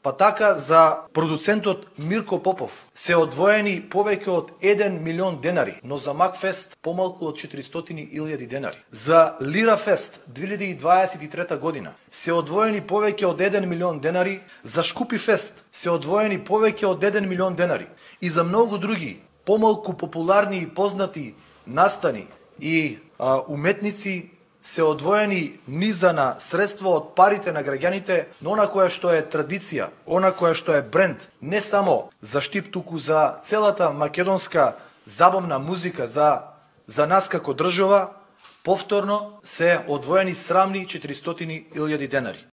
Па така за продуцентот Мирко Попов се одвоени повеќе од 1 милион денари, но за Макфест помалку од 400.000 денари. За Лирафест 2023 година се одвоени повеќе од 1 милион денари, за Шкупи Фест се одвоени повеќе од 1 милион денари и за многу други помалку популарни и познати настани и уметници се одвоени низана средства од парите на граѓаните, но она која што е традиција, она која што е бренд, не само за Штип, туку за целата македонска забавна музика, за нас како држава, повторно се одвоени срамни 400.000 денари.